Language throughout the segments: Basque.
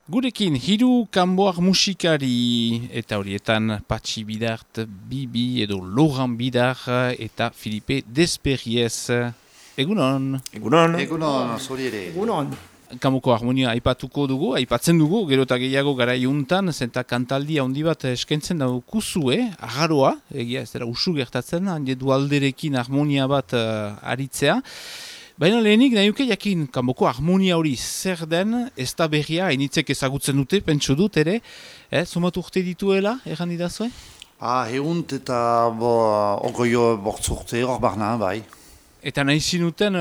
Gurekin, hiru kanboar musikari eta horietan Patxi Bidart, Bibi edo Laurent Bidart eta Filipe Desperriez. Egunon? Egunon. Egunon, zori ere. Egunon. Kamoko harmonia aipatzen dugu, gero eta gehiago gara iuntan, zenta kantaldi handi bat eskentzen daukuzue, agarroa, egia ez dira usu gertatzen, handi dualderekin harmonia bat aritzea. Baina lehenik nahi uke jakin, kanboko harmonia hori zer den, ez da berria, hainitzek ezagutzen dute, pentsu dut ere, somat urte dituela, erran idazue? Egunt eta ogoio bortzurte hor barna, bai. Eta nahi zinuten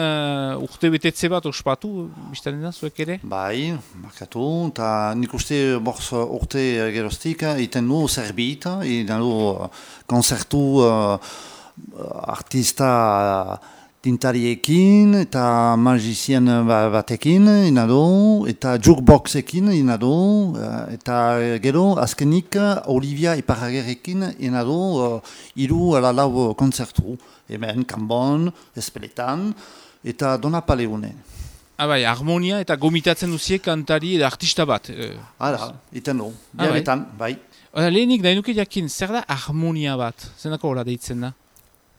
urte betetze bat ospatu, biztaren da, zuek ere? Bai, markatu, eta nik uste bortz urte geroztik, iten du zerbit, iten du konzertu artista tintariekin eta magizien batekin, inado, eta jukeboxekin, inado, eta gero azkenik Olivia Iparragerrekin, inado, hiru ala lau konzertu. Hemen, Kanbon, Espeletan, eta Donapaleune. Bai, harmonia eta gomitatzen duzie kantari eta artista bat. Iten du, biaretan, bai. Lehenik nahi nuke jakin, zer da harmonia bat? Zendako hola deitzen da?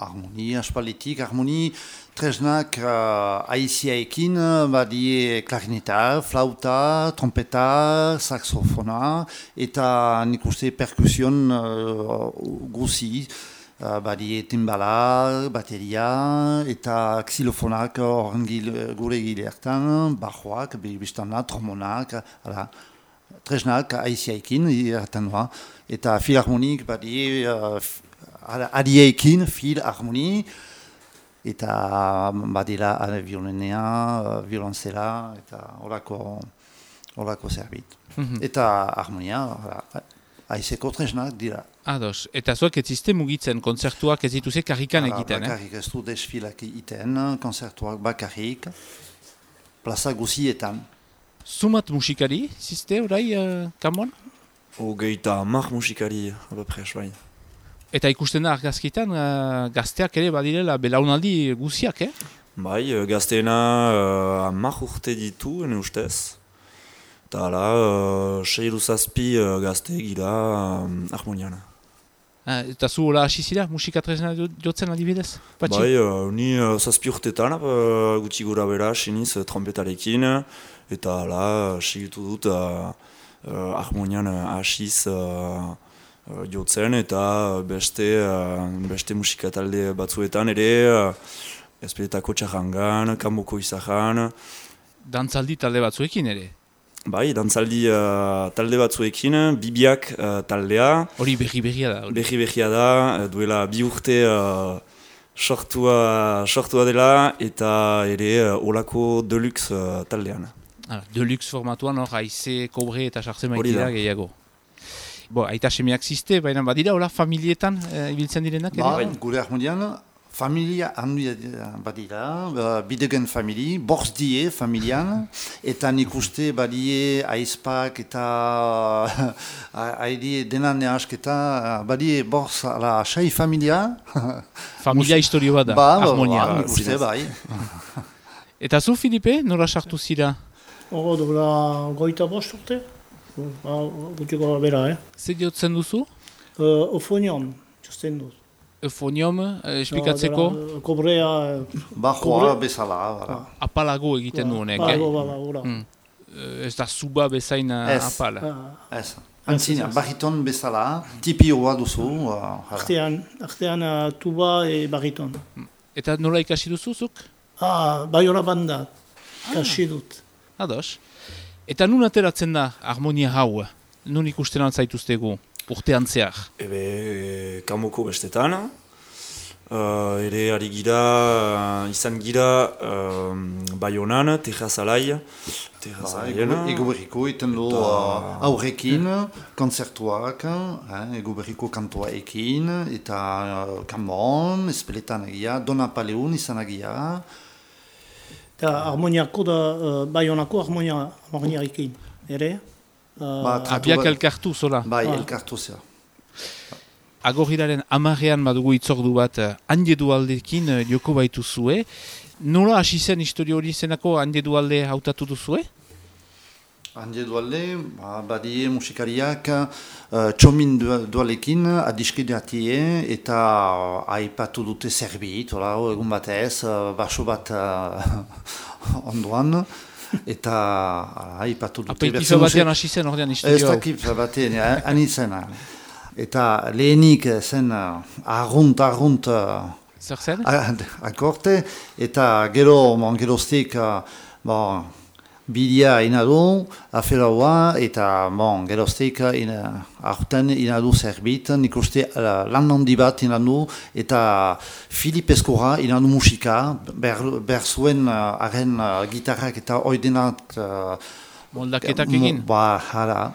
Harmonia, aspalitik, harmonia tresnak aiziaekin, badie klarineta, flauta, trompeta, saxofona, eta nik uste perkusion guzi. Badie timbala, bateria, eta xilofonak gure gileartan, bajoak, biztana, trombonak, tresnak aiziaekin, eta filharmonik badie adieekin, filharmoni, eta badila violinea, violonzela, eta horako zerbit. Eta harmonia, aizeko tresnak dira. Ados, eta zuek ez ziste mugitzen, konzertuak ez dituzte karrikan egiten, Bakarrik ez du desfilak egiten, konzertuak bakarrik, plaza guzietan. Zumat musikari, ziste, orai, Kanbon? Hogeita 10 musikari, abapres, bai. Eta ikusten da argazkitan, gazteak ere badirela belaunaldi guziak, Bai, gazteena 10 urte ditu, ene ustez. Eta hala, 6-7 gazte gira harmoniana. Eta zu hola hasi zira, musikatresna jotzen adibidez? Patxi? Bai, ni 7 urtetan, gutxi gura bera, siniz trompetarekin, eta hala, segitu dut harmonian hasiz jotzen, eta beste musikatalde batzuetan ere, Ezpeletako txarrangan, Kanboko izahan. Dantzaldi talde batzuekin ere? Bai, dantzaldi talde batzuekin, Bibiak taldea. Hori berri-berria da? Berri-berria da, duela 2 urte sortua dela, eta ere olako deluxe taldean. Deluxe formatuan hor, haize, kobre eta sartzen maitira gehiago. Aita semeak ziste, baina badira, hola, familietan ibiltzen direnak? Gure harmonian, familia handia badira, bidegen famili, borz die familian, eta nik uste badie aizpak eta haidie denan nehasketa, badie borz ala sei familia. Familia historio bat da, harmonia. Nik uste bai. Eta zu, Filipe, nora sartu zira? Dola goita bost urte, gutxiko bera, Zer diotzen duzu? Ofonion, txosten dut. Eufonium, esplikatzeko? Kobrea... Bajoa bezala. Apalago egiten du honek, Ez da zuba bezain apala. Ez. Antzina, bariton bezala, tipioa duzu. Artean tuba e bariton. Eta nola ikasi duzuzuk? Baiola banda, ikasi dut. Ados. Eta nun ateratzen da harmonia hau? Nun ikusten altzaituztegu? Urtean zehar? Kanboko bestetan, ere ari gira, izan gira Baionan, Terrazalai. Ego berriko iten du aurrekin, konzertuak, ego berriko kantoaekin, eta Kanbon, Espeletan egia, Donapaleun izan egia. Eta harmoniako da, Baionako harmoniarekin, ere? Abiak elkartu zola? Bai, elkartu zera. Agorriraren 10ean badugu itzordu bat hande dualdekin joko baitu zue. Nola hasi zen historio hori zenako hande dualde hautatu duzue? Handi dualde, badie musikariak txomin dualekin adiskideatie eta aipatu dute zerbit, egun batez, baso bat ondoan, eta aipatu dute... Aperitifa batean hasi zen ordean istudio. Ez dakit batean, anitzena. Eta lehenik zen argunt... Zer zen? Akorte, eta geroztik... Bidea inadu, aferaua, eta geroztik aurten inadu zerbit, nik uste lan handi bat inadu, eta Filip Eskora inadu musika, behar zuen haren gitarrak eta oidenat... Moldaketak egin? Hala.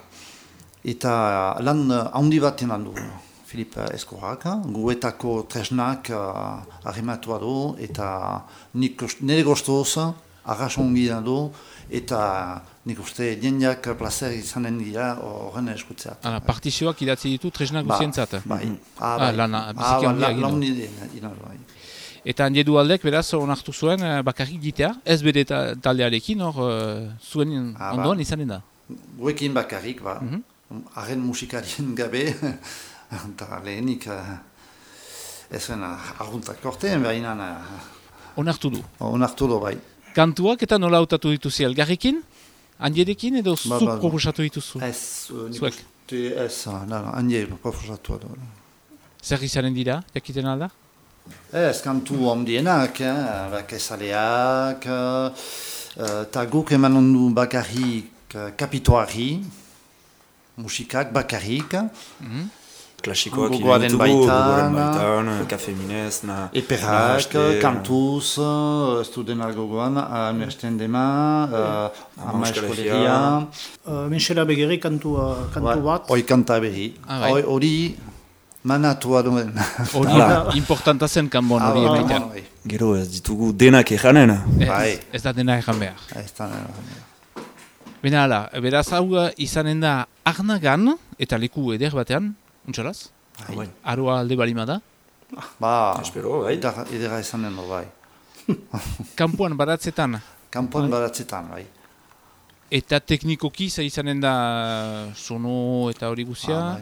Eta lan handi bat inadu Filip Eskorak, guetako tresnak arrematua du, eta nire goztoz, arrasongi inadu, eta nik uste jendeak plazer izanen dira horren eskutzeat. Partizioak idatzi ditu tresnak guzientzat? Bai. Lana, biziki handia egin. Eta handi dualdek, beraz, onartu zuen bakarrik gitea, ez bere taldearekin, zuen ondoan izanen da? Guekin bakarrik, haren musikarien gabe, eta lehenik ez zuen arguntak korteen, behinan... Onartu du? Onartu du, bai. Kantuak eta nola hautatu dituzi, Elgarrekin? Handierekin edo zuk proposatu dituzu? Ez, handie proposatu du. Zer izanen dira, jakiten alda? Ez, kantu ondienak, bakezaleak, eta guk eman ondu bakarrik kapitoari, musikak bakarrik, klasikoak gogoaren baitan, Kafe Minez, Eperak, Kantuz, Estudena gogoan, Amersten Dema, Ama Eskoleria. Menxera Begeri kantu bat. Hoi kanta berri. Hori manatua duen. Hori importanta zen kanbon hori emaitan. Gero ez ditugu denak ejanen. Ez da dena ejan behar. Ez da dena ejan behar. Bena hala, beraz hau izanen da Arnagan, eta leku eder batean, untxalaz? Aroa alde balima da? Espero, bai. Edera izanen da, bai. Kampuan baratzetan? Kampuan baratzetan, bai. Eta teknikoki izanen da sono eta hori guzia?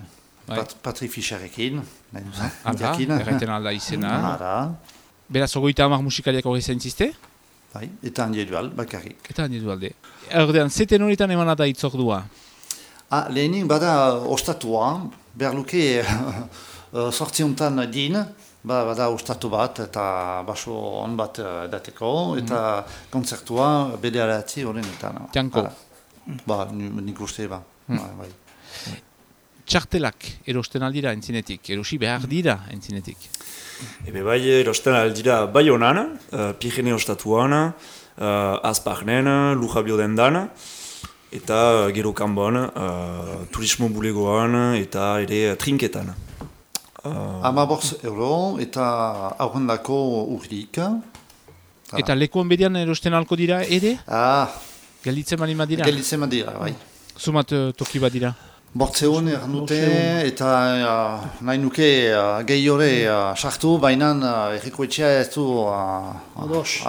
Patri Fischerekin. Erraiten alda izena. Beraz, 30 musikariak hori zaintzizte? Bai, eta handi dual, bakarrik. Eta handi dualde. Erdean, zeten horietan emana da itzordua? Lehenik bada ostatua, behar luke sortziontan din, bada ostatu bat eta baso on bat dateko, eta kontzertua bede alatzi horrenetan. Tianko? Nik uste, bai. Txartelak erosten aldira entzinetik, erosi behar dira entzinetik? Ebe bai erosten aldira bai honan, Pirene ostatuan, Azparnen, Lujabio dendan, eta gero kanbon, turismo bulegoan eta ere trinketan. 15 euro eta aurrendako urrik. Eta lekuan bedian erosten alko dira ere? Gelditzen balima dira? Gelditzen badira, bai. Zumat toki bat dira? Bortzeun dute eta nahi nuke gehi hori sartu, baina errikoetxea ez du... Ados.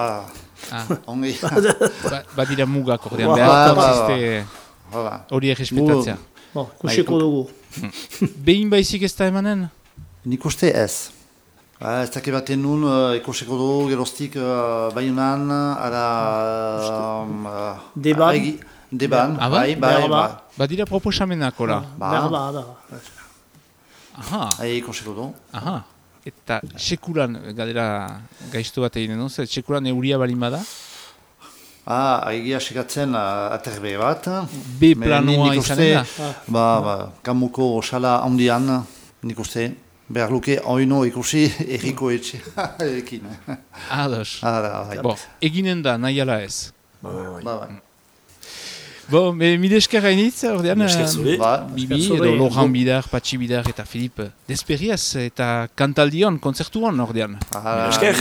Ongi. Badira mugak ordean behar konziste hori errespetatzea. Kusiko dugu. Behin baizik ez da emanen? Nik uste ez. Ez dake baten nun ikusiko dugu geroztik baiunan Deban, bai. Badira proposamenak, ora? Berba. Aha. Ikusiko dugu. Aha. Eta sekulan, gadera gaiztu bat egin duz, sekulan euria balin bada? Egia sekatzen aterbe bat. B planoa izanen da? Kamuko sala handian, nik uste, behar luke oino ikusi erriko etxearekin. Ados. Eginen da, nahi ala ez? Bai. Mide esker gainitz, ordean, Bibi, edo Loran Bidar, Patxi Bidar eta Filip Desperiaz eta kantaldion, kontzertuan ordean. Esker.